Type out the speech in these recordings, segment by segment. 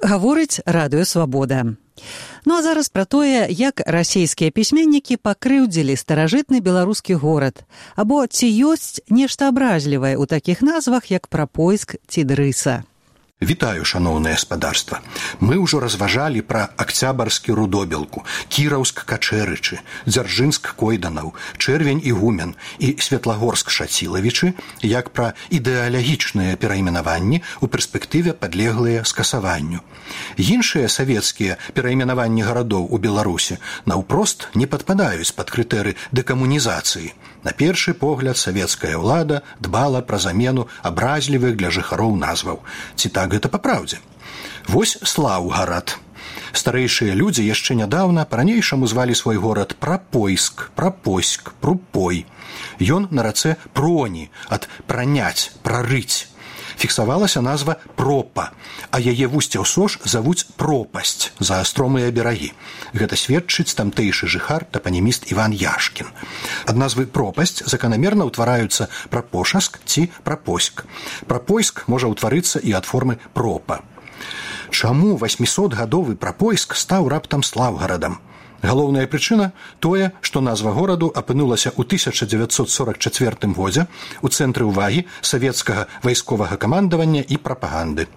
Гаворыць Радыё Свабода. Ну а зараз пра тое, як расійскія пісьменнікі пакрыўдзілі старажытны беларускі горад, або ці ёсць нешта абразлівае ў такіх назвах, як Прапойск ці Дрыса. Вітаю, шаноўнае гаспадарства. Мы ўжо разважалі пра Акцябарскі Рудобелку, Кіраўск Качэрычы, Дзяржынск Койданаў, Чэрвень Ігумен і Светлагорск Шацілавічы, як пра ідэалагічныя перайменаванні ў перспектыве падлеглыя скасаванню. Іншыя савецкія перайменаванні гарадоў у Беларусі наўпрост не падпадаюць пад крытэры дэкамунізацыі. На першы погляд савецкая ўлада дбала пра замену абразлівых для жыхароў назваў. Ці так гэта па праўдзе? Вось Слаўгарад. Старэйшыя людзі яшчэ нядаўна па-ранейшаму звалі свой горад Прапойск, Прапоськ, Прупой. Ён на рацэ Проні, ад праняць, прарыць. Фіксавалася назва Пропа, а яе вусце ў сош завуць Пропасць за астромыя берагі. Гэта сведчыць тамтэйшы жыхар, тапаніміст Іван Яшкін. Ад назвы Пропасць заканамерна ўтвараюцца Прапошаск ці Прапоськ. Прапойск можа ўтварыцца і ад формы Пропа. Чаму 800-гадовы Прапойск стаў раптам Слаўгарадам? Галоўная прычына – тое, што назва гораду апынулася ў 1944 годзе ў цэнтры ўвагі савецкага вайсковага камандавання і прапаганды.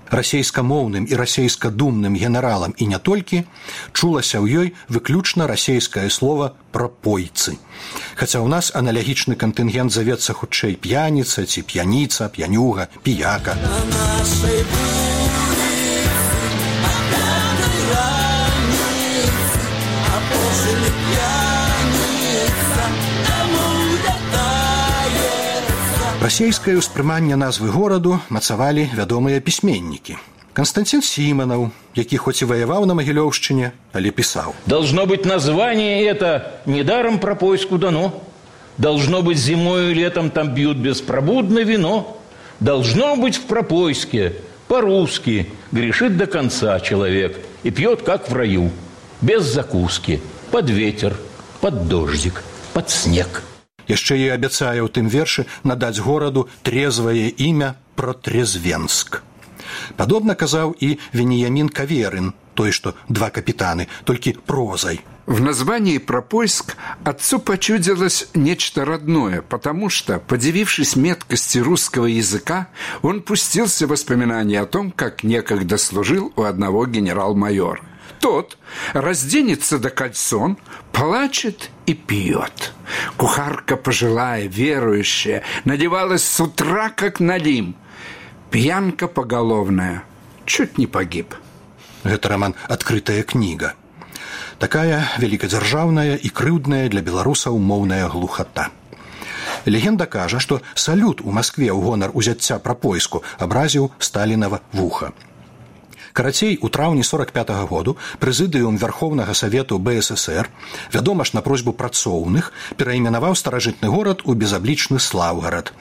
Расейскамоўным і расейскадумным генералам і не толькі чулася ў ёй выключна расейскае слова «прапойцы». Хаця ў нас аналагічны кантынгент завецца хутчэй п'яніца ці п'яніца, п'янюга, піяка. Расейскае ўспрыманне назвы гораду мацавалі вядомыя пісьменнікі. Константин Симонов, які хоць і воевал на Могилевщине, але писал: «Должно быть, название это недаром Пропойску дано. Должно быть, зимою и летом там бьют беспробудно вино. Должно быть, в Пропойске по-русски грешит до конца человек и пьет, как в раю, без закуски, под ветер, под дождик, под снег». Яшчэ і абяцае ў тым вершы надаць гораду трезвае імя Протрезвенск. Падобна казаў і Вениамин Каверин, той, что два капитаны, только прозой. В названии «Пропойск» отцу почудилось нечто родное, потому что, подивившись меткости русского языка, он пустился в воспоминания о том, как некогда служил у одного генерал-майора. Тот разденется до кальсон, плачет и пьет. Кухарка пожилая, верующая, надевалась с утра, как налим. Пьянка поголовная. Чуть не погиб. Гэта роман «Открытая книга». Такая великодержавная и крыўдная для беларусаў моўная глухота. Легенда кажа, што салют у Москве ў гонар узяцця Прапойску абразіў Сталінава вуха. Карацей, у траўні 45-го году прэзідыум Верховнага Савету БССР, вядома ж на просьбу працоўных, перайменаваў старажытны горад у безаблічны Слаўгарад.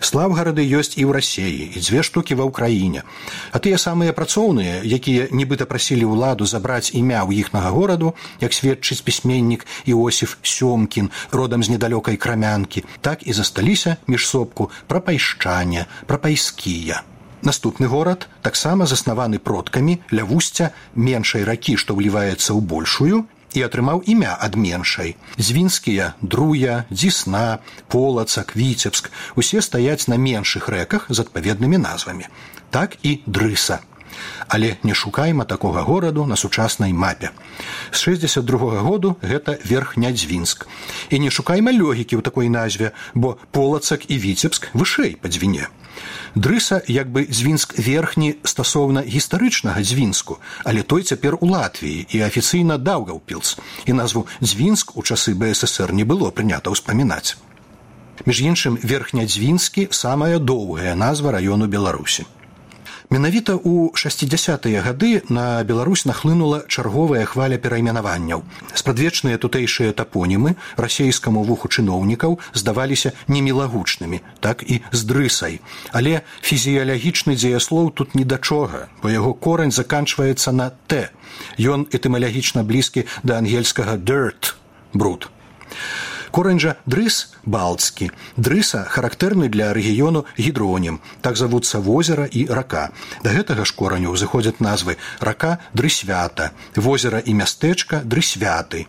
Слаўгарады ёсць і ў Расіі, і 2 штукі ва ўкраіне. А тыя самыя працоўныя, якія нібыта прасілі ўладу забраць імя ў іхнага гораду, як сведчыць пісьменнік Іосіф Сёмкін, родам з недалёкай Крамянкі, так і засталіся міжсобку прапайшчане, прапайскія. Наступны горад таксама заснаваны продкамі ля вусця меншай ракі, што ўліваецца ў большую, і атрымаў імя ад меншай. Звінскія, Друя, Дзісна, Полацак, Віцебск усе стаяць на меншых рэках з адпаведнымі назвамі. Так і Дрыса. Але не шукайма такога гораду на сучаснай мапе. З 62-го году гэта Верхнядзвінск. І не шукайма лёгікі ў такой назве, бо Полацак і Віцебск вышэй па Дзвіне. Дрыса як бы Дзвінск верхні стасоўна гістарычнага Дзвінску, але той цяпер у Латвіі і афіцыйна Даўгаўпілс, і назву Дзвінск у часы БССР не было прынята ўспамінаць. Між іншым, Верхнядзвінскі – самая доўгая назва раёну Беларусі. Менавіта ў 60-тыя гады на Беларусь нахлынула чарговая хваля перайменаванняў. Спрадвечныя тутэйшыя тапонімы расейскаму вуху чыноўнікаў здаваліся немілагучнымі, так і з Дрысай. Але фізіялагічны дзеяслоў тут ні да чога, бо яго корань заканчваецца на «т». Ён этымалагічна блізкі да ангельскага «dirt» – «бруд». Корань жа дрыс балтскі. Дрыса характэрны для рэгіёну гідронім. Так завуцца возера і рака. Да гэтага ж кораню ўзыходзяць назвы рака Дрысвята, возера і мястэчка Дрысвяты.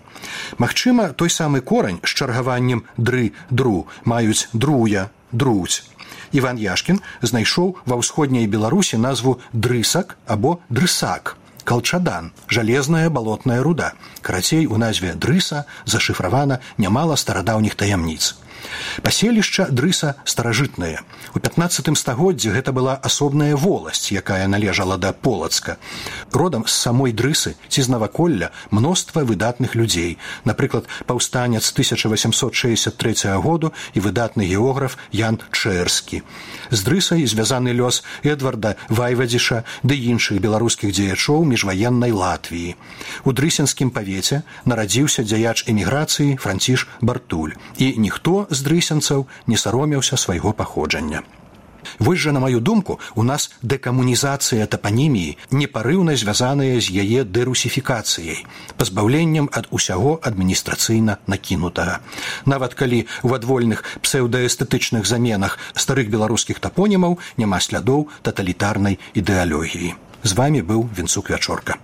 Магчыма, той самы корань з чаргаваннем дры-дру маюць друя, друць. Іван Яшкін знайшоў ва ўсходняй Беларусі назву дрысак або дрысак. Калчадан – жалезная балотная руда. Карацей, у назве дрыса зашыфравана нямала старадаўніх таямніц. Паселішча дрыса старажытнае. У 15 стагоддзі гэта была асобная воласць, якая належала да Полацка. Родам з самой дрысы ці з наваколля мноства выдатных людзей. Напрыклад, паўстанец 1863 году і выдатны географ Ян Чэрскі. З дрысай звязаны лёс Эдварда Вайвадзіша ды іншых беларускіх дзеячоў міжваеннай Латвіі. У дрысенскім павеце нарадзіўся дзяяч эміграцыі Франціш Бартуль. І ніхто з дрысенцаў не саромеўся свайго паходжання. Вось жа, на маю думку, у нас дэкамунізацыя тапаніміі непарыўна звязаная з яе дэрусіфікацыяй, пазбаўленнем ад усяго адміністрацыйна накінутага. Нават калі ў адвольных псеўдаэстэтычных заменах старых беларускіх тапонімаў няма слядоў таталітарнай ідэалогіі. З вамі быў Вінцук Вячорка.